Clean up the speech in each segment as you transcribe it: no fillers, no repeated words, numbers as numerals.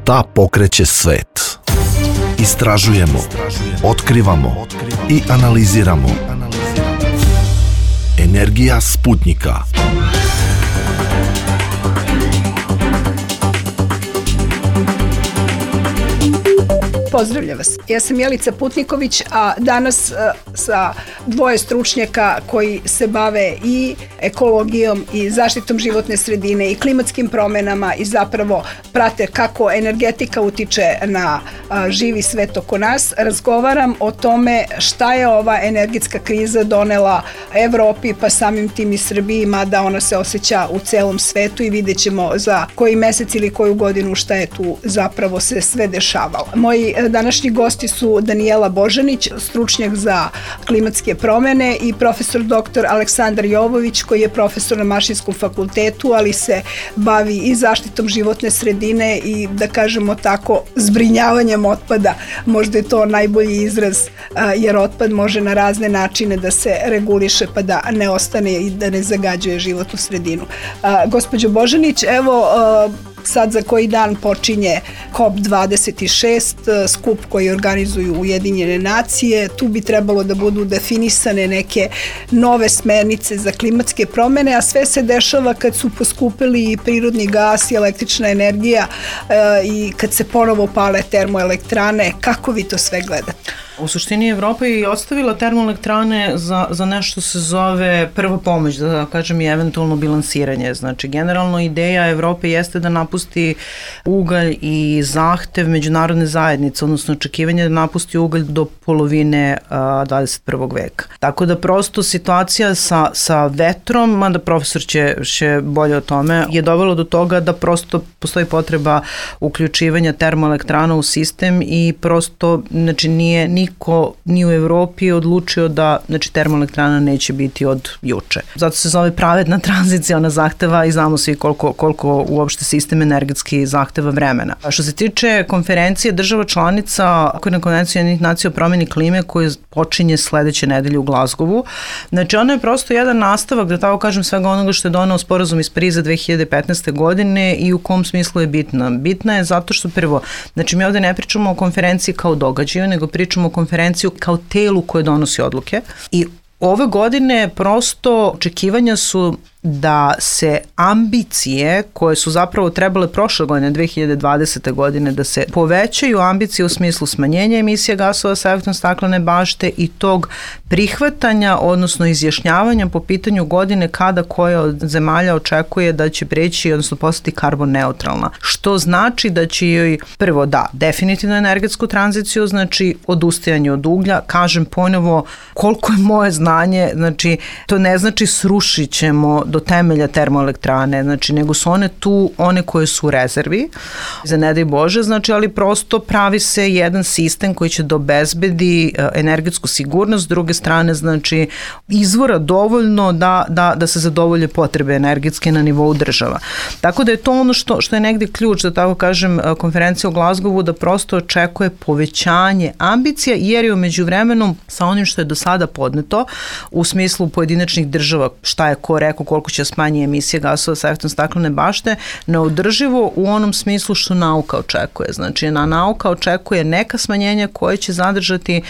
Šta pokreće svet? Istražujemo, otkrivamo i analiziramo. Energija Sputnjika. Pozdravljam vas. Ja sam Jelica Putniković, a danas sa dvoje stručnjaka koji se bave i ekologijom i zaštitom životne sredine i klimatskim promenama i zapravo prate kako energetika utiče na živi svet oko nas. Razgovaram o tome šta je ova energetska kriza donela Evropi, pa samim tim i Srbiji, mada ona se osjeća u celom svetu i vidjet ćemo za koji mesec ili koju godinu šta je tu zapravo se sve dešavalo. Moji današnji gosti su Danijela Božanić, stručnjak za klimatske promene, i profesor dr. Aleksandar Jovović, koji je profesor na Mašinskom fakultetu, ali se bavi i zaštitom životne sredine i, da kažemo tako, zbrinjavanjem otpada. Možda je to najbolji izraz, jer otpad može na razne načine da se reguliše pa da ne ostane i da ne zagađuje životnu sredinu. Gospođo Božanić, evo, sad za koji dan počinje COP26, skup koji organizuju Ujedinjene nacije. Tu bi trebalo da budu definisane neke nove smernice za klimatske promene, a sve se dešava kad su poskupili i prirodni gas i električna energija i kad se ponovo pale termoelektrane. Kako vi to sve gledate? U suštini Evropa je ostavila termoelektrane za nešto se zove prva pomoć, da kažem, i eventualno bilansiranje. Znači, generalno ideja Evrope jeste da napusti ugalj i zahtev međunarodne zajednice, odnosno očekivanje da napusti ugalj do polovine 21. veka. Tako da prosto situacija sa vetrom, mada profesor će bolje o tome, je dovelo do toga da prosto postoji potreba uključivanja termoelektrana u sistem i prosto, znači, nije niko ni u Evropi odlučio da, znači, termoelektrana neće biti od juče. Zato se zove pravedna tranzicija, ona zahteva i znamo svi koliko uopšte sistem energetski zahteva vremena. A što se tiče konferencije država članica Okvirne konvencije Ujedinjenih nacija o promeni klime koja počinje sledeće nedelje u Glazgovu, znači ona je prosto jedan nastavak, da tako kažem, svega onoga što je doneo sporazum iz Pariza 2015. godine i u kom smislu je bitna. Bitna je zato što prvo, znači mi ovde ne pričamo o konferenciji kao događaju, nego pričamo o konferenciju kao telu koje donosi odluke i ove godine prosto očekivanja su da se ambicije koje su zapravo trebale prošle godine, 2020. godine, da se povećaju ambicije u smislu smanjenja emisije gasova sa efektom staklene bašte i tog prihvatanja, odnosno izjašnjavanja po pitanju godine kada koja od zemalja očekuje da će preći, odnosno postati karbon neutralna. Što znači da će joj prvo definitivno energetsku tranziciju, znači odustajanje od uglja, kažem ponovo koliko je moje znanje, znači to ne znači srušit ćemo do temelja termoelektrane, znači nego su one tu, one koje su u rezervi, za ne daj Bože, znači, ali prosto pravi se jedan sistem koji će da obezbedi energetsku sigurnost, s druge strane, znači, izvora dovoljno da se zadovolje potrebe energetske na nivou država. Tako da je to ono što je negde ključ, da tako kažem, konferencija u Glazgovu, da prosto očekuje povećanje ambicija, jer je u međuvremenu sa onim što je do sada podneto u smislu pojedinačnih država, šta je ko rekao, koliko će smanji emisije gasova sa efektom staklene bašte, neodrživo u onom smislu što nauka očekuje. Znači, nauka očekuje neka smanjenja koje će zadržati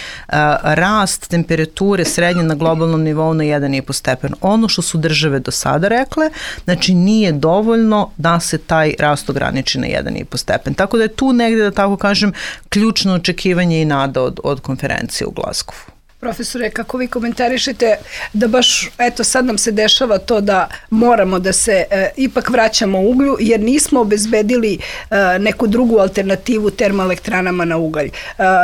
rast temperature srednje na globalnom nivou na 1,5 stepen. Ono što su države do sada rekle, znači nije dovoljno da se taj rast ograniči na 1,5 stepen. Tako da je tu negde, da tako kažem, ključno očekivanje i nada od konferencije u Glazgovu. Profesore, kako vi komentarišete da baš, eto, sad nam se dešava to da moramo da se ipak vraćamo uglju, jer nismo obezbedili neku drugu alternativu termoelektranama na ugalj.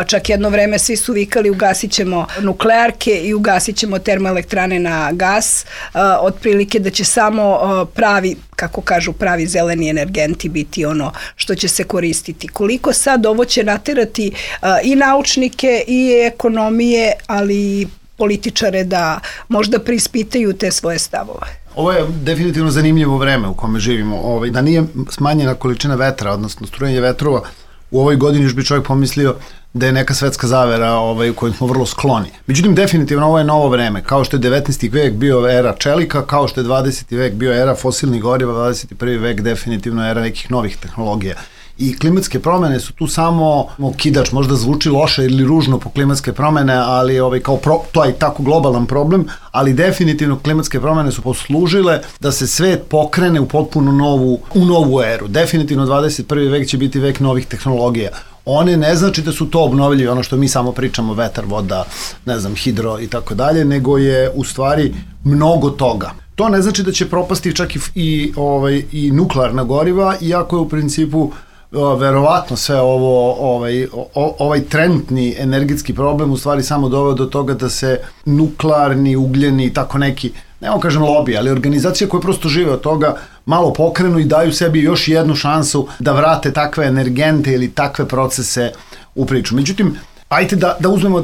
Čak jedno vreme svi su vikali ugasit ćemo nuklearke i ugasit ćemo termoelektrane na gas, otprilike da će samo pravi, kako kažu, pravi zeleni energenti biti ono što će se koristiti. Koliko sad ovo će naterati i naučnike i ekonomije, ali i političare da možda preispitaju te svoje stavove? Ovo je definitivno zanimljivo vreme u kome živimo. Da nije smanjena količina vetra, odnosno strujanje vetrova, u ovoj godini još bi čovjek pomislio da je neka svetska zavera u kojoj smo vrlo skloni. Međutim, definitivno ovo je novo vreme. Kao što je 19. vek bio era čelika, kao što je 20. vek bio era fosilnih goriva, 21. vek definitivno era nekih novih tehnologija. I klimatske promene su tu samo okidač, možda zvuči loše ili ružno po klimatske promene, ali to je tako globalan problem, ali definitivno klimatske promene su poslužile da se svet pokrene u potpuno novu eru. Definitivno 21. vek će biti vek novih tehnologija. One ne znači da su to obnovljivi, ono što mi samo pričamo, vetar, voda, ne znam, hidro i tako dalje, nego je u stvari mnogo toga. To ne znači da će propasti čak i nuklearna goriva, iako je u principu verovatno sve ovaj trenutni energetski problem u stvari samo doveo do toga da se nuklearni, ugljeni i tako neki, nemo kažem lobby, ali organizacije koje prosto žive od toga malo pokrenu i daju sebi još jednu šansu da vrate takve energente ili takve procese u priču. Međutim, ajte da uzmemo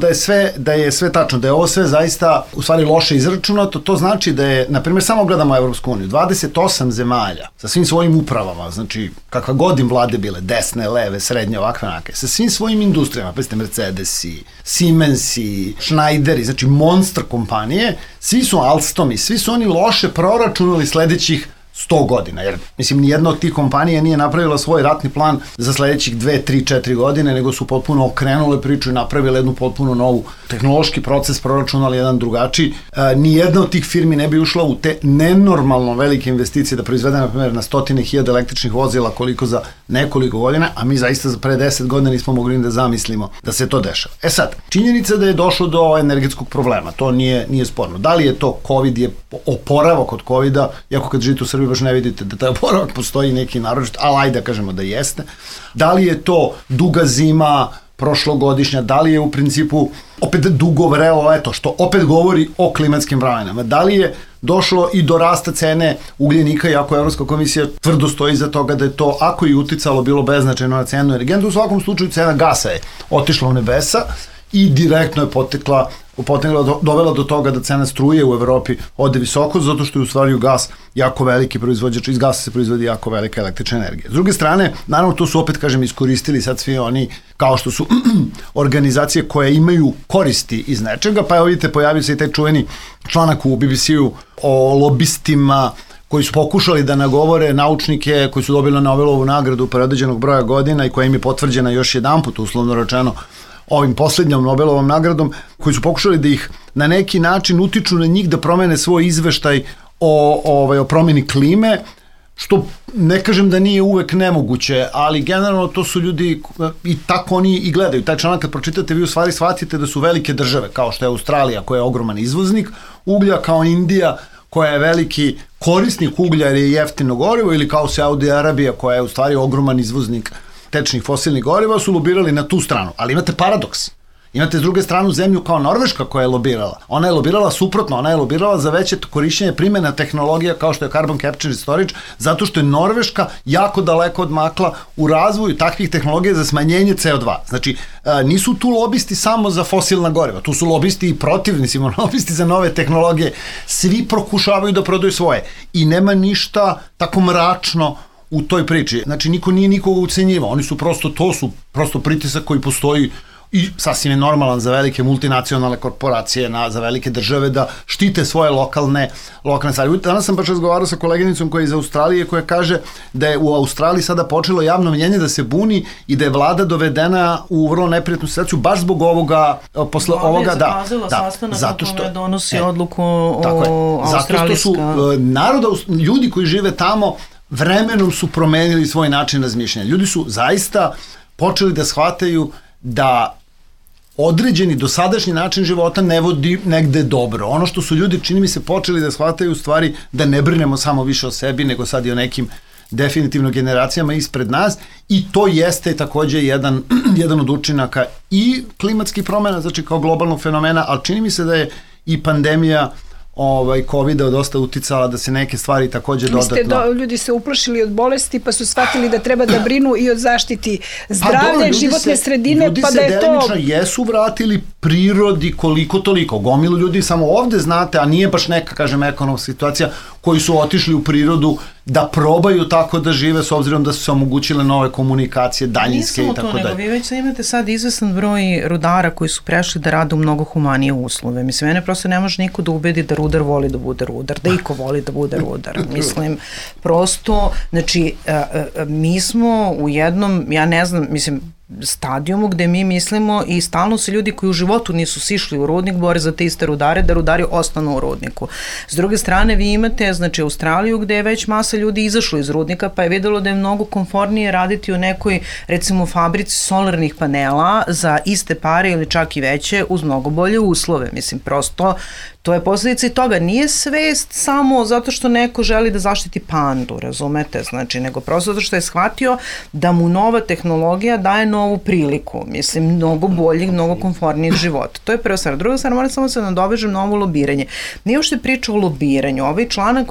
da je sve tačno, da je ovo sve zaista u stvari loše izračunato, to znači da je, na primjer, samo gledamo Evropsku uniju, 28 zemalja sa svim svojim upravama, znači kakva god im vlade bile, desne, leve, srednje, ovakve nake, sa svim svojim industrijama, pa Mercedesi, Siemensi, Schneideri, znači monster kompanije, svi su Alstomi, svi su oni loše proračunali sledećih 100 godina, jer mislim nijedna od tih kompanija nije napravila svoj ratni plan za sledećih 2, 3, 4 godine, nego su potpuno okrenule priču i napravile jednu potpuno novu tehnološki proces, proračunali jedan drugačiji. Nijedna od tih firmi ne bi ušla u te nenormalno velike investicije da proizvede, na primjer, na 100.000 električnih vozila koliko za nekoliko godina, a mi zaista pre 10 godina nismo mogli da zamislimo da se to dešava. Sad, činjenica da je došlo do energetskog problema, to nije sporno. Da li je to COVID, je oporavak od COVID-a, iako kad živite u Srbiji baš ne vidite da taj oporavak postoji neki naročit, ali ajde da kažemo da jeste. Da li je to duga zima, prošlogodišnja, da li je u principu opet dugo vrelo leto, što opet govori o klimatskim promenama. Da li je došlo i do rasta cene ugljenika, iako Evropska komisija tvrdo stoji iza toga da je to, ako je uticalo, bilo beznačajno na cenu energenata, u svakom slučaju cena gasa je otišla u nebesa i direktno je dovela do toga da cena struje u Evropi ode visoko, zato što je u stvari gas jako veliki proizvođač, iz gasa se proizvodi jako velika električna energija. S druge strane, naravno to su opet, kažem, iskoristili sad svi oni, kao što su organizacije koje imaju koristi iz nečega, pa evo vidite, pojavio se i taj čuveni članak u BBC-u o lobistima koji su pokušali da nagovore naučnike koji su dobili Nobelovu nagradu pre određenog broja godina i koja im je potvrđena još jedanput, uslovno rečeno, ovim posljednjom Nobelovom nagradom, koji su pokušali da ih na neki način utiču na njih da promene svoj izveštaj o promjeni klime, što ne kažem da nije uvek nemoguće, ali generalno to su ljudi i tako oni i gledaju. Taj članak kad pročitate, vi u stvari shvatite da su velike države, kao što je Australija koja je ogroman izvoznik uglja, kao Indija koja je veliki korisnik uglja jer je jeftino gorivo, ili kao Saudi Arabija koja je u stvari ogroman izvoznik tečnih fosilnih goriva, su lobirali na tu stranu. Ali imate paradoks. Imate s druge stranu zemlju kao Norveška koja je lobirala. Ona je lobirala suprotno, ona je lobirala za veće korišćenje primjena tehnologija kao što je carbon capture and storage, zato što je Norveška jako daleko odmakla u razvoju takvih tehnologija za smanjenje CO2. Znači, nisu tu lobisti samo za fosilna goriva, tu su lobisti i protivnici, lobisti za nove tehnologije. Svi pokušavaju da prodaju svoje i nema ništa tako mračno u toj priči. Znači, niko nije nikoga ucenjivao. Oni su to su prosto pritisak koji postoji i sasvim je normalan za velike multinacionalne korporacije, za velike države da štite svoje lokalne stvari. Danas sam baš razgovarao sa koleginicom koja je iz Australije, koja kaže da je u Australiji sada počelo javno mnjenje da se buni i da je vlada dovedena u vrlo neprijatnu situaciju baš zbog ovoga, posle ovoga, da, zato što donosi odluku o australijska. Zato što su ljudi koji žive tamo vremenom su promenili svoj način razmišljanja. Ljudi su zaista počeli da shvataju da određeni dosadašnji način života ne vodi negde dobro. Ono što su ljudi, čini mi se, počeli da shvataju u stvari da ne brinemo samo više o sebi, nego sad i o nekim definitivno generacijama ispred nas, i to jeste takođe jedan od učinaka i klimatskih promjena, znači kao globalnog fenomena, ali čini mi se da je i pandemija COVID-a dosta uticala da se neke stvari takođe dodatno... Ljudi se uplašili od bolesti pa su shvatili da treba da brinu i od zaštiti zdravlja, životne sredine, pa da je to... Ljudi se delimično jesu vratili prirodi koliko toliko. Gomilu ljudi samo ovde znate, a nije baš neka, kažem, ekonomska situacija, koji su otišli u prirodu da probaju tako da žive s obzirom da su se omogućile nove komunikacije, daljinske i tako dalje. Nije samo to, nego vi već imate sad izvestan broj rudara koji su prešli da rade u mnogo humanije uslove. Mislim, mene prosto ne može niko da ubedi da rudar voli da bude rudar, da iko voli da bude rudar. Mislim, prosto, znači, mi smo u jednom, ja ne znam, mislim, stadijumu gde mi mislimo i stalno se ljudi koji u životu nisu sišli u rudnik bore za te iste rudare, da rudari ostanu u rudniku. S druge strane, vi imate, znači, Australiju gde je već masa ljudi izašlo iz rudnika, pa je videlo da je mnogo komfornije raditi u nekoj, recimo, fabrici solarnih panela za iste pare ili čak i veće uz mnogo bolje uslove. Mislim, prosto, to je posledica i toga. Nije svest samo zato što neko želi da zaštiti pandu, razumete? Znači, nego prosto zato što je shvatio da mu nova tehnologija daje novu priliku. Mislim, mnogo boljih, mnogo komfornijih života. To je prva stvar. Druga stvar, moram samo se nadovežem na ovo lobiranje. Nije uopšte priča o lobiranju. Ovaj članak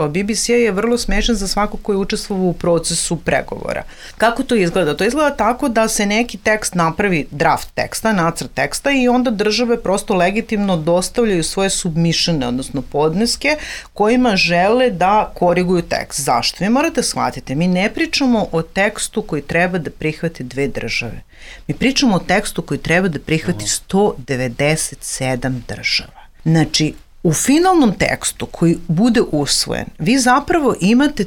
BBC-a je vrlo smešan za svako koji je učestvovao u procesu pregovora. Kako to izgleda? To izgleda tako da se neki tekst napravi, draft teksta, nacrt teksta, i onda države prosto legitimno dostavljaju svoje submišene, odnosno podneske, kojima žele da koriguju tekst. Zašto? Vi morate shvatiti, mi ne pričamo o tekstu koji treba da prihvate dve države. Mi pričamo o tekstu koji treba da prihvati 197 država. Znači, u finalnom tekstu koji bude usvojen, vi zapravo imate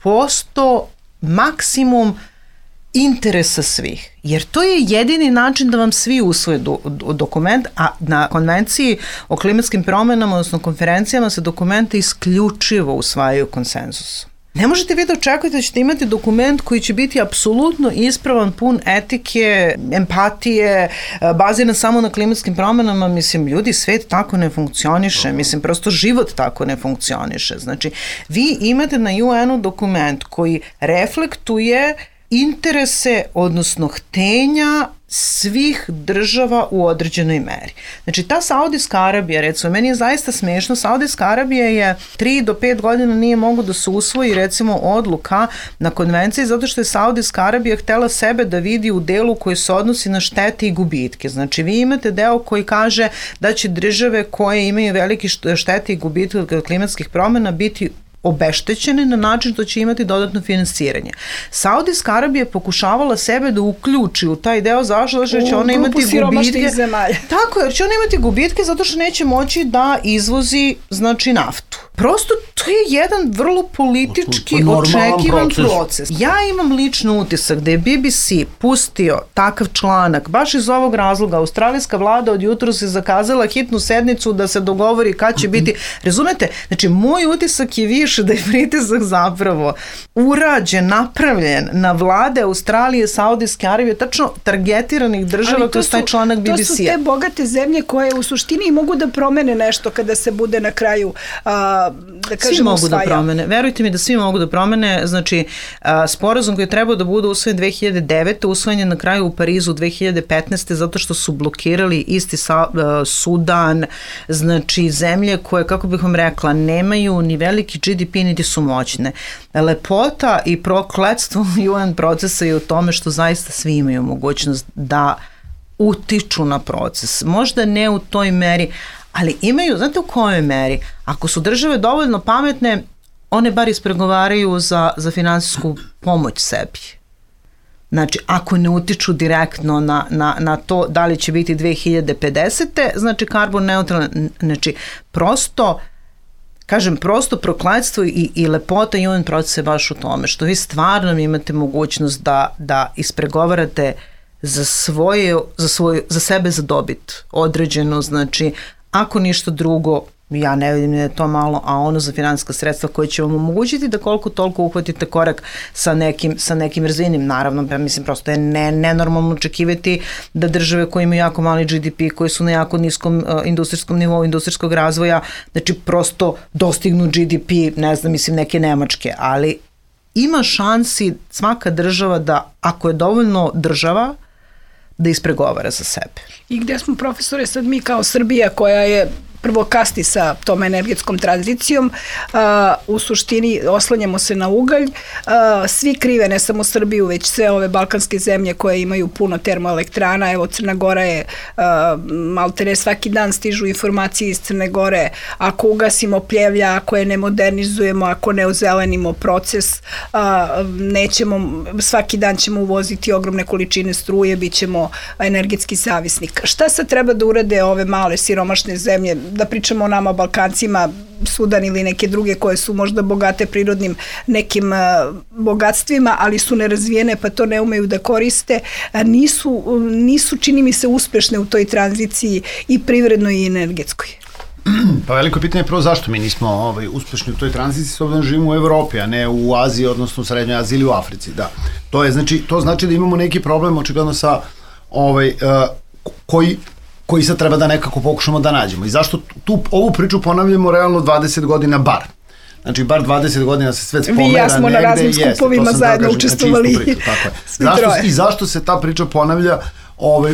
30% maksimum interesa svih, jer to je jedini način da vam svi usvoje dokument, a na konvenciji o klimatskim promenama, odnosno konferencijama, se dokumenta isključivo usvajaju konsenzusom. Ne možete vi da očekujete da ćete imati dokument koji će biti apsolutno ispravan, pun etike, empatije, baziran samo na klimatskim promenama. Mislim, ljudi, svet tako ne funkcioniše, mislim, prosto život tako ne funkcioniše. Znači, vi imate na UN-u dokument koji reflektuje interese, odnosno htenja svih država u određenoj meri. Znači, ta Saudijska Arabija, recimo, meni je zaista smešno, Saudijska Arabija je 3 do 5 godina nije mogu da se usvoji, recimo, odluka na konvenciji, zato što je Saudijska Arabija htela sebe da vidi u delu koji se odnosi na štete i gubitke. Znači, vi imate deo koji kaže da će države koje imaju velike štete i gubitke od klimatskih promena biti obeštećene na način da će imati dodatno finansiranje. Saudijska Arabija je pokušavala sebe da uključi u taj deo, zašto će ona imati gubitke. Tako, jer će ona imati gubitke zato što neće moći da izvozi, znači, naftu. Prosto to je jedan vrlo politički očekivan proces. Ja imam lično utisak da je BBC pustio takav članak baš iz ovog razloga. Australijska vlada od jutro se zakazala hitnu sednicu da se dogovori kad će biti. Razumete? Znači, moj utisak je više da je pritisak zapravo urađen, napravljen na vlade Australije, Saudijske Arabije, tačno targetiranih država kroz taj članak BBC-a. To su te bogate zemlje koje u suštini mogu da promene nešto kada se bude na kraju da kažemo, svi mogu da promene. Verujte mi da svi mogu da promene. Znači, sporazum koji je trebao da bude usvojen 2009. usvojen je na kraju u Parizu 2015. zato što su blokirali isti Sudan, znači zemlje koje, kako bih vam rekla, nemaju ni veliki GDP niti su moćne. Lepota i prokletstvo UN procesa je u tome što zaista svi imaju mogućnost da utiču na proces. Možda ne u toj meri, ali imaju, znate u kojoj meri? Ako su države dovoljno pametne, one bar ispregovaraju za finansijsku pomoć sebi. Znači, ako ne utiču direktno na to da li će biti 2050. znači karbon neutralan, znači prosto, kažem, prosto prokletstvo i lepota UN procesa je baš u tome, što vi stvarno imate mogućnost da ispregovarate za sebe za dobit određeno, znači, ako ništa drugo, ja ne vidim da je to malo, a ono za finansijska sredstva koje će vam omogućiti da koliko toliko uhvatite korak sa nekim razvijenim. Naravno, ja mislim, prosto je nenormalno očekivati da države koje imaju jako mali GDP, koji su na jako niskom industrijskom nivou, industrijskog razvoja, znači prosto dostignu GDP, ne znam, mislim, neke Nemačke, ali ima šansi svaka država da, ako je dovoljno država, da ispregovara za sebe. I gde smo, profesore, sad mi kao Srbija koja je prvo kasni sa tom energetskom tranzicijom. U suštini oslanjamo se na ugalj. Svi krive, ne samo Srbiju, već sve ove balkanske zemlje koje imaju puno termoelektrana. Evo, Crna Gora je, maltene svaki dan stižu informacije iz Crne Gore. Ako ugasimo Pljevlja, ako je ne modernizujemo, ako ne ozelenimo proces, nećemo, svaki dan ćemo uvoziti ogromne količine struje, bit ćemo energetski zavisnik. Šta sad treba da urade ove male siromašne zemlje, da pričamo o nama Balkancima, Sudan ili neke druge koje su možda bogate prirodnim nekim bogatstvima, ali su nerazvijene pa to ne umeju da koriste, nisu čini mi se uspešne u toj tranziciji i privrednoj i energetskoj. Pa veliko pitanje je prvo zašto mi nismo uspešni u toj tranziciji, s obzirom da živimo u Evropi, a ne u Aziji, odnosno u Srednjoj Aziji ili u Africi, da. To znači da imamo neki problem očigledno sa koji sad treba da nekako pokušamo da nađemo. I zašto ovu priču ponavljamo realno 20 godina bar. Znači, bar 20 godina se svet spomera. Vi i ja smo na raznim skupovima zajedno učestvovali. I zašto se ta priča ponavlja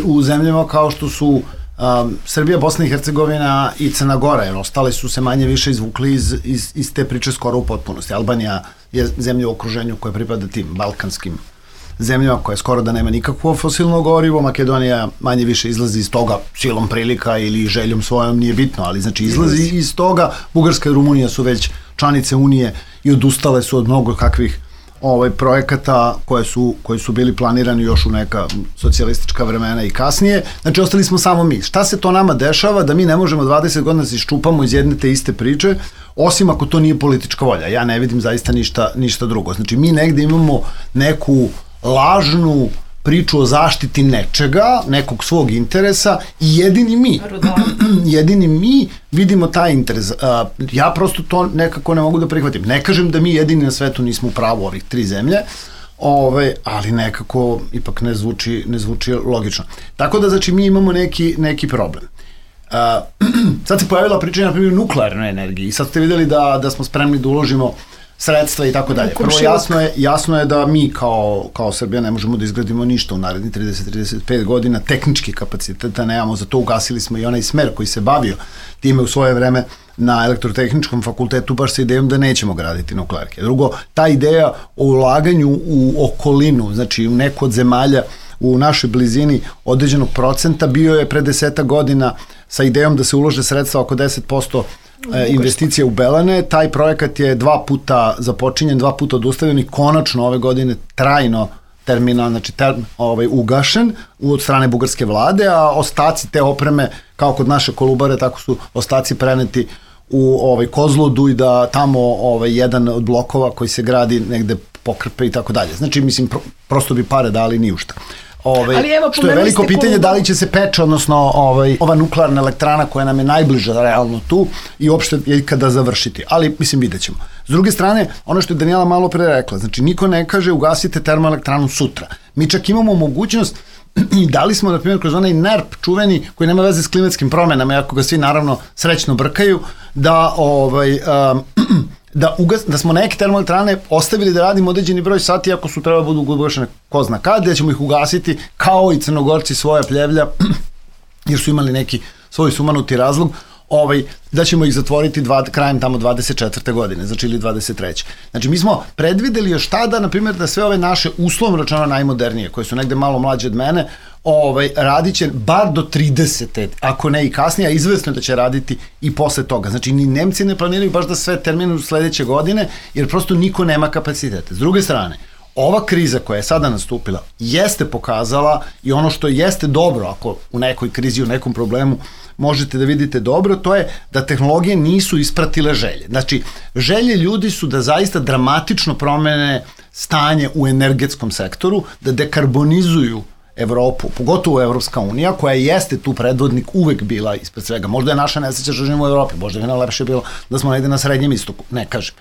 u zemljama kao što su Srbija, Bosna i Hercegovina i Crna Gora, jer ostale su se manje više izvukli iz te priče skoro u potpunosti. Albanija je zemlja u okruženju koja pripada tim balkanskim zemljama koja skoro da nema nikakvo fosilno gorivo. Makedonija manje više izlazi iz toga silom prilika ili željom svojom, nije bitno, ali znači izlazi iz toga. Bugarska i Rumunija su već članice Unije i odustale su od mnogo kakvih projekata koji su bili planirani još u neka socijalistička vremena i kasnije. Znači, ostali smo samo mi. Šta se to nama dešava da mi ne možemo 20 godina se iščupamo iz jedne te iste priče, osim ako to nije politička volja. Ja ne vidim zaista ništa drugo. Znači, mi negde imamo neku lažnu priču o zaštiti nečega, nekog svog interesa i jedini mi vidimo taj interes. Ja prosto to nekako ne mogu da prihvatim. Ne kažem da mi jedini na svetu nismo u pravu ovih 3 zemlje, ali nekako ipak ne zvuči logično. Tako da, znači, mi imamo neki problem. Sad se pojavila priča, na primjer, nuklearnoj energiji i sad ste videli da smo spremni da uložimo sredstva i tako dalje. Prvo, jasno je da mi kao Srbija ne možemo da izgradimo ništa u narednih 30-35 godina, tehnički kapaciteta nemamo, zato ugasili smo i onaj smer koji se bavio time u svoje vreme na elektrotehničkom fakultetu baš sa idejom da nećemo graditi nuklearke. Drugo, ta ideja o ulaganju u okolinu, znači u neku od zemalja u našoj blizini određenog procenta, bio je pre 10 godina sa idejom da se ulože sredstva oko 10% investicije u Belane. Taj projekat je 2 puta započinjen, 2 puta odustavljen i konačno ove godine trajno terminal, znači ugašen od strane bugarske vlade, a ostaci te opreme, kao kod naše Kolubare, tako su ostaci preneti u Kozludu i da tamo jedan od blokova koji se gradi negde pokrpe i tako dalje. Znači, mislim, prosto bi pare dali ni u šta. Što je veliko pitanje da li će se Peč, odnosno ova nuklearna elektrana koja nam je najbliža realno tu i uopšte je kada završiti, ali mislim vidjet ćemo. S druge strane, ono što je Danijela malo pre rekla, znači niko ne kaže ugasite termoelektranu sutra. Mi čak imamo mogućnost i dali smo, na primjer, kroz onaj NERP čuveni koji nema veze s klimatskim promenama, iako ga svi naravno srećno brkaju, da smo neke termoelektrane ostavili da radimo određeni broj sati, ako su treba budu ugašene ko zna kad, da ćemo ih ugasiti kao i Crnogorci svoja Pljevlja, jer su imali neki svoj sumanuti razlog, da ćemo ih zatvoriti krajem tamo 24. godine, znači ili 23. Znači, mi smo predvideli još tada, na primjer, da sve ove naše uslovno rečeno najmodernije, koje su negde malo mlađe od mene, radit će bar do 30. ako ne i kasnije, a izvesno da će raditi i posle toga. Znači, ni Nemci ne planiraju baš da sve terminu sledeće godine, jer prosto niko nema kapacitete. S druge strane, ova kriza koja je sada nastupila jeste pokazala i ono što jeste dobro, ako u nekoj krizi, u nekom problemu možete da vidite dobro, to je da tehnologije nisu ispratile želje. Znači, želje ljudi su da zaista dramatično promene stanje u energetskom sektoru, da dekarbonizuju Evropu, pogotovo Evropska unija, koja jeste tu predvodnik uvek bila ispred svega. Možda je naša nesreća što živimo u Evropi, možda je najlepše bilo da smo negde na Srednjem istoku, ne kažem.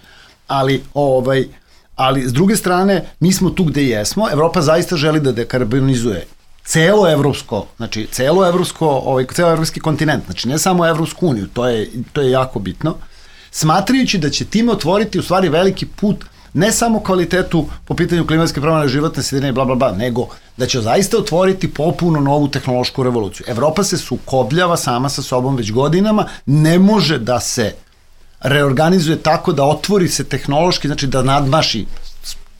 Ali s druge strane, mi smo tu gde jesmo, Evropa zaista želi da dekarbonizuje ceo evropski kontinent, znači ne samo Evropsku uniju, to je jako bitno, smatrajući da će time otvoriti u stvari veliki put ne samo kvalitetu po pitanju klimatske promjene, životne sredine i bla bla bla, nego da će zaista otvoriti popuno novu tehnološku revoluciju. Evropa se sukobljava sama sa sobom već godinama, ne može da se reorganizuje tako da otvori se tehnološki, znači da nadmaši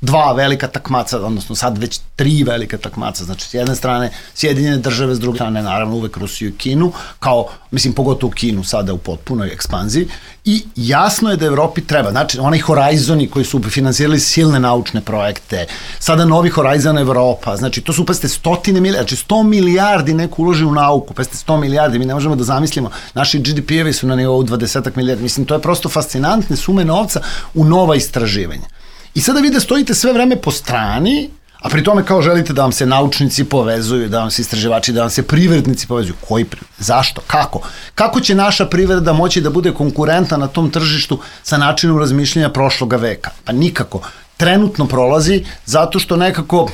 dva velika takmaca, odnosno sad već 3 velika takmaca, znači s jedne strane Sjedinjene države, s druge strane naravno uvek Rusiju i Kinu, kao, mislim, pogotovo Kinu sada u potpunoj ekspanziji, i jasno je da Evropi treba, znači onaj Horizoni koji su finansirali silne naučne projekte, sada novi Horizon Evropa, znači to su, pazite, 100 milijardi, znači 100 milijardi neko uloži u nauku, pazite, 100 milijardi, mi ne možemo da zamislimo, naši GDP-evi su na nivou 20 milijardi, mislim, to je prosto fascinantne sume novca u nova istraživanja. I sada vi da stojite sve vreme po strani, a pri tome kao želite da vam se naučnici povezuju, da vam se istraživači, da vam se privrednici povezuju. Koji privred? Zašto? Kako? Kako će naša privreda moći da bude konkurentna na tom tržištu sa načinom razmišljanja prošloga veka? Pa nikako. Trenutno prolazi zato što nekako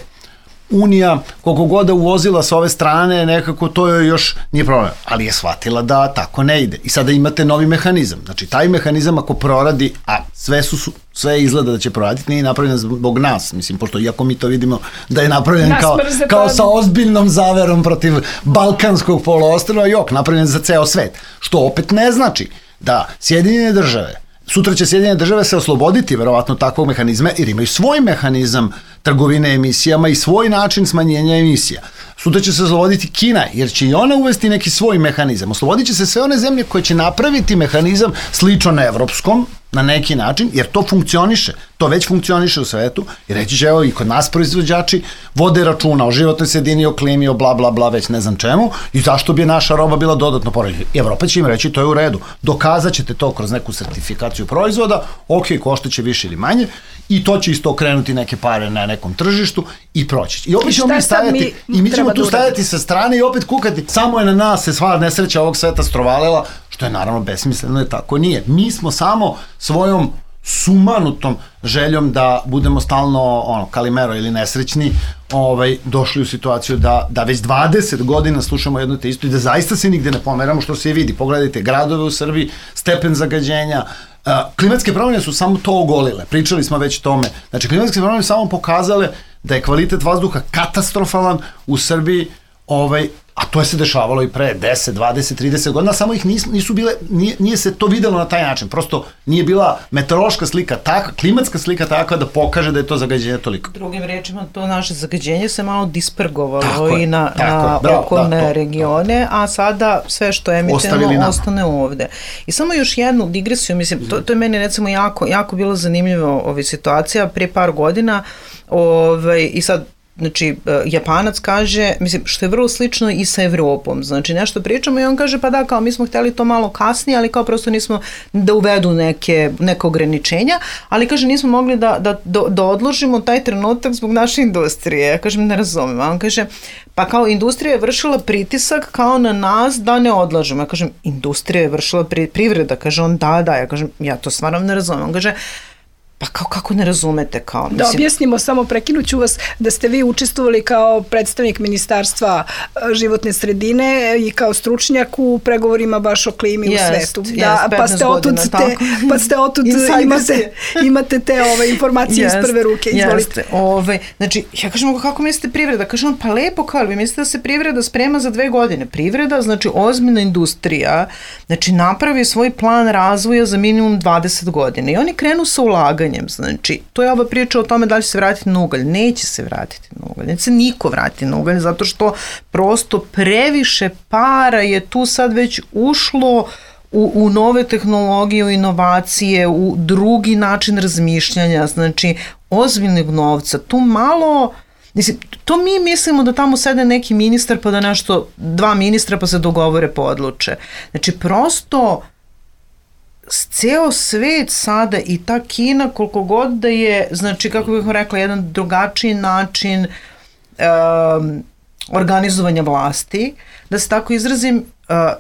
Unija, koliko god da uvozila sa ove strane, nekako to joj još nije problem, ali je shvatila da tako ne ide. I sada imate novi mehanizam. Znači, taj mehanizam ako proradi, a sve izgleda da će proraditi, nije napravljen zbog nas, mislim, pošto iako mi to vidimo da je napravljen kao sa ozbiljnom zaverom protiv Balkanskog poluostrva, napravljen za ceo svet. Što opet ne znači da Sjedinjene države, sutra će Sjedinjene države se osloboditi verovatno takvog mehanizma, jer imaju svoj mehanizam trgovine emisijama i svoj način smanjenja emisija. Sutra će se osloboditi Kina, jer će i ona uvesti neki svoj mehanizam. Oslobodit će se sve one zemlje koje će napraviti mehanizam slično na evropskom, na neki način, jer to funkcioniše, to već funkcioniše u svetu, i reći će, evo, i kod nas proizvođači vode računa o životnoj sredini, o klimi, o bla bla bla, već ne znam čemu, i zašto bi naša roba bila dodatno poređena. Evropa će im reći, to je u redu, dokazat ćete to kroz neku sertifikaciju proizvoda, ok, koštaće više ili manje, i to će isto okrenuti neke pare na nekom tržištu i proći. I opet ćemo mi stajati, i mi ćemo tu stajati sa strane i opet kukati, samo je na nas se sva nesreća ovog sveta strovalila, što je naravno besmisleno, je tako nije. Mi smo samo svojom sumanutom željom da budemo stalno kalimero ili nesrećni, došli u situaciju da već 20 godina slušamo jedno te isto i da zaista se nigde ne pomeramo, što se vidi. Pogledajte gradove u Srbiji, stepen zagađenja, klimatske promjene su samo to ogolile, pričali smo već o tome. Znači, klimatske promjene samo pokazale da je kvalitet vazduha katastrofalan u Srbiji, a to je se dešavalo i pre 10, 20, 30 godina, samo ih nisu bile, nije se to videlo na taj način, prosto nije bila meteorološka slika takva, klimatska slika takva da pokaže da je to zagađenje toliko. Drugim rečima, to naše zagađenje se malo dispergovalo i na okolne regione, a sada sve što je emitirano ostane ovde. I samo još jednu digresiju, mislim, to je meni recimo jako bilo zanimljivo situacija prije par godina, i sad znači, Japanac kaže, mislim, što je vrlo slično i sa Evropom, znači nešto pričamo i on kaže, pa da, kao mi smo hteli to malo kasnije, ali kao prosto nismo da uvedu neke ograničenja, ali kaže, nismo mogli da odložimo taj trenutak zbog naše industrije. Ja kažem, ne razumem, a on kaže, pa kao industrija je vršila pritisak kao na nas da ne odlažemo. Ja kažem, industrija je vršila privreda, kaže on, da, ja kažem, ja to stvarno ne razumem. On kaže, pa kako ne razumete kao? Da objasnimo, samo prekinuću vas, da ste vi učestvovali kao predstavnik Ministarstva životne sredine i kao stručnjak u pregovorima baš o klimi u svetu. Pa ste otud imate te informacije iz prve ruke. Izvolite. Znači, ja kažem, kako mislite privreda? Kažem, pa lepo, kao vi mislite da se privreda sprema za 2 godine. Privreda, znači ozbiljna industrija, znači napravi svoj plan razvoja za minimum 20 godina i oni krenu sa ulaganjem. Znači, to je ova priča o tome da li će se vratiti na ugalj. Neće se vratiti na ugalj. Neće se niko vratiti na ugalj, zato što prosto previše para je tu sad već ušlo u nove tehnologije, u inovacije, u drugi način razmišljanja, znači, ozbiljnog novca. Tu malo, mislim, to mi mislimo da tamo sede neki ministar pa da nešto, 2 ministra pa se dogovore pa odluče. Znači, prosto ceo svet sada i ta Kina, koliko god da je, znači, kako bih rekla, jedan drugačiji način organizovanja vlasti, da se tako izrazim,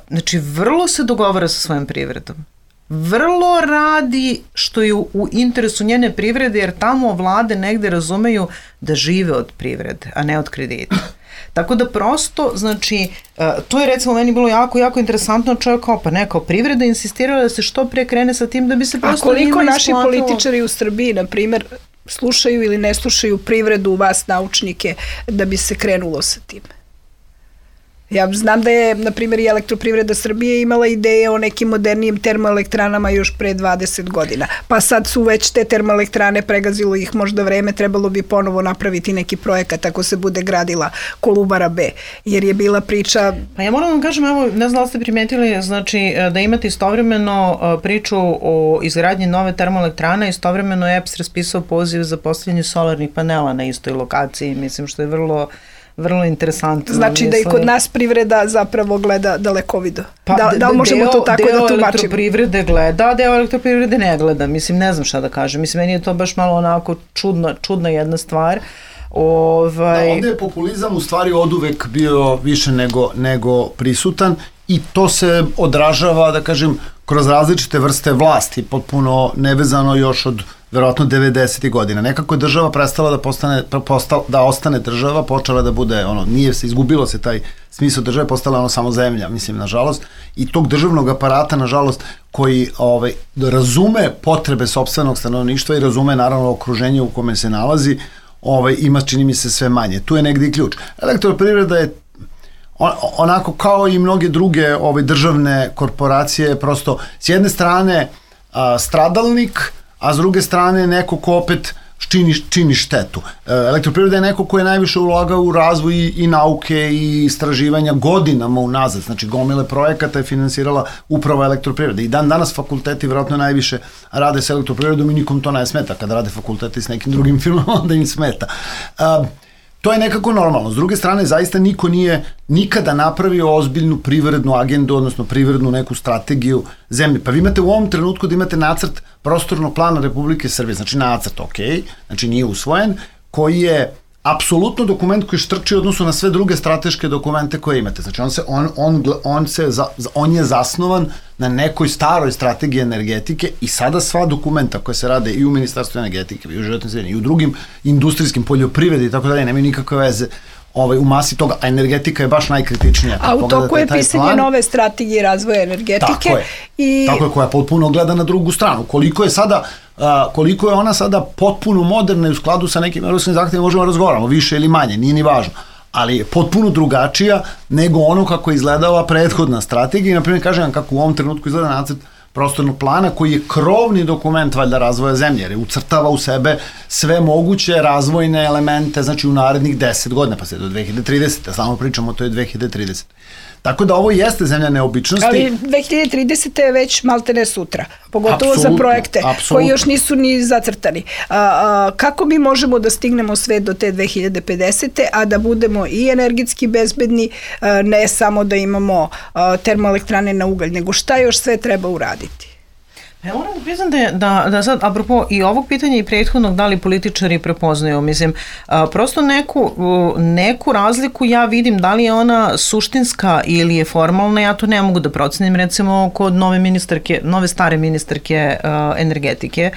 znači, vrlo se dogovara sa svojom privredom. Vrlo radi što je u interesu njene privrede, jer tamo vlade negde razumeju da žive od privrede, a ne od kredita. Tako da prosto, znači, to je recimo meni bilo jako interesantno, čovjek kao, pa ne, kao privreda insistirala da se što pre krene sa tim da bi se prosto njima isplatilo. A koliko naši političari u Srbiji, na primjer, slušaju ili ne slušaju privredu, vas naučnike, da bi se krenulo sa tim? Ja znam da je, na primjer, i Elektroprivreda Srbije imala ideje o nekim modernijim termoelektranama još pre 20 godina. Pa sad su već te termoelektrane, pregazilo ih možda vreme, trebalo bi ponovo napraviti neki projekat ako se bude gradila Kolubara B. Jer je bila priča... Pa ja moram vam kažem, evo, ne znam da ste primetili, znači da imate istovremeno priču o izgradnji nove termoelektrane, istovremeno je EPS raspisao poziv za postavljanje solarnih panela na istoj lokaciji, mislim što je vrlo interesantno. Znači da i kod nas privreda zapravo gleda dalekovido. Pa, da li možemo to tako da tumačimo? Deo elektroprivrede gleda, deo elektroprivrede ne gleda. Mislim, ne znam šta da kažem. Mislim, meni je to baš malo onako čudna jedna stvar. Da, ovde je populizam u stvari oduvek bio više nego prisutan i to se odražava, da kažem, kroz različite vrste vlasti, potpuno nevezano još od verovatno 90. godina. Nekako je država prestala da ostane država, počela da bude, izgubilo se taj smisao države, postala samo zemlja, mislim, nažalost, i tog državnog aparata, nažalost, koji razume potrebe sopstvenog stanovništva i razume, naravno, okruženje u kome se nalazi, ima, čini mi se, sve manje. Tu je negdje i ključ. Elektroprivreda je onako kao i mnoge druge državne korporacije, prosto s jedne strane stradalnik, a s druge strane neko ko opet čini štetu. Elektroprivreda je neko ko je najviše ulagao u razvoj i nauke i istraživanja godinama unazad, znači gomile projekata je finansirala upravo elektroprivreda. I danas fakulteti vjerojatno najviše rade s elektroprivredom i nikom to ne smeta. Kada rade fakulteti s nekim drugim firmama, onda im smeta. To je nekako normalno. S druge strane, zaista niko nije nikada napravio ozbiljnu privrednu agendu, odnosno privrednu neku strategiju zemlje. Pa vi imate u ovom trenutku da imate nacrt prostornog plana Republike Srbije, znači nacrt, znači nije usvojen, koji je apsolutno dokument koji štrči u odnosu na sve druge strateške dokumente koje imate. Znači on je zasnovan na nekoj staroj strategiji energetike i sada sva dokumenta koje se rade i u Ministarstvu energetike, i u životnoj sredini, i u drugim industrijskim poljoprivredi i tako dalje, nemaju nikakve veze u masi toga, a energetika je baš najkritičnija. A u toku je pisanje nove strategije razvoja energetike. Tako je, koja potpuno gleda na drugu stranu. Koliko je ona sada potpuno moderna i u skladu sa nekim evropskim zahtjevima možemo razgovaramo, više ili manje, nije ni važno, ali je potpuno drugačija nego ono kako je izgledala prethodna strategija. I naprimjer kažem vam kako u ovom trenutku izgleda nacrt prostornog plana koji je krovni dokument valjda razvoja zemlje, jer ucrtava u sebe sve moguće razvojne elemente, znači u narednih 10 godina, pa sve do 2030. Samo pričamo o toj 2030. Tako da ovo jeste zemlja neobičnosti. Ali 2030. je već maltene sutra, pogotovo za projekte koji još nisu ni zacrtani. Kako mi možemo da stignemo sve do te 2050. a da budemo i energetski bezbedni, ne samo da imamo termoelektrane na ugalj, nego šta još sve treba uraditi? Ja moram da priznam da sad, apropo i ovog pitanja i prethodnog, da li političari prepoznaju, mislim, prosto neku razliku ja vidim, da li je ona suštinska ili je formalna, ja to ne mogu da procenim, recimo kod nove stare ministarke energetike,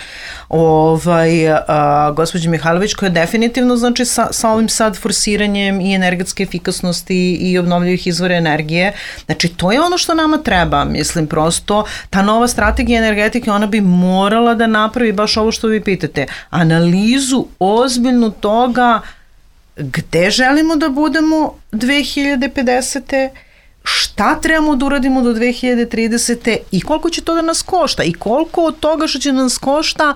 gospođe Mihajlović, koja je definitivno, znači, sa ovim sad forsiranjem i energetske efikasnosti i obnovljivih izvora energije, znači, to je ono što nama treba, mislim, prosto, ta nova strategija energetike, ona bi morala da napravi baš ovo što vi pitate, analizu ozbiljnu toga gde želimo da budemo 2050. Šta trebamo da uradimo do 2030. i koliko će to da nas košta i koliko od toga što će nas košta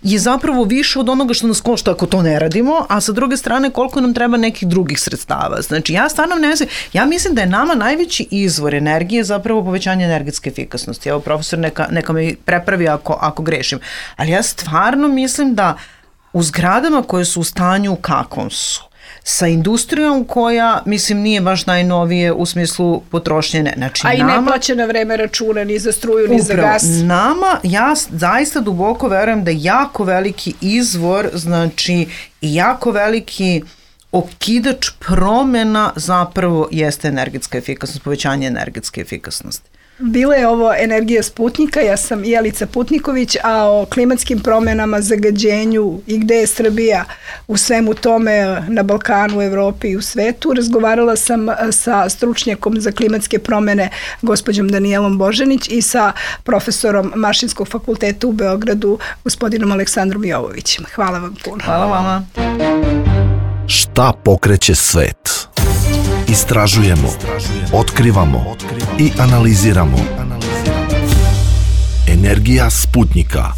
je zapravo više od onoga što nas košta ako to ne radimo, a sa druge strane koliko nam treba nekih drugih sredstava. Znači ja stvarno ne znam, ja mislim da je nama najveći izvor energije zapravo povećanje energetske efikasnosti. Evo profesor neka me prepravi ako grešim, ali ja stvarno mislim da u zgradama koje su u stanju kakvom su, sa industrijom koja, mislim, nije baš najnovije u smislu potrošnje. Znači, i ne plaća na vreme računa ni za struju, ni za gas. Ja zaista duboko verujem da jako veliki izvor, znači i jako veliki okidač promjena zapravo jeste energetska efikasnost, povećanje energetske efikasnosti. Bila je ovo Energija Sputnika, ja sam Jelica Putniković, a o klimatskim promenama, zagađenju i gde je Srbija u svemu tome na Balkanu, u Evropi i u svetu razgovarala sam sa stručnjakom za klimatske promene gospođom Danijelom Božanić i sa profesorom Mašinskog fakulteta u Beogradu gospodinom Aleksandrom Jovovićem. Hvala vam puno. Hvala vama. Šta pokreće svet? Istražujemo, otkrivamo i analiziramo. Energija Sputnika.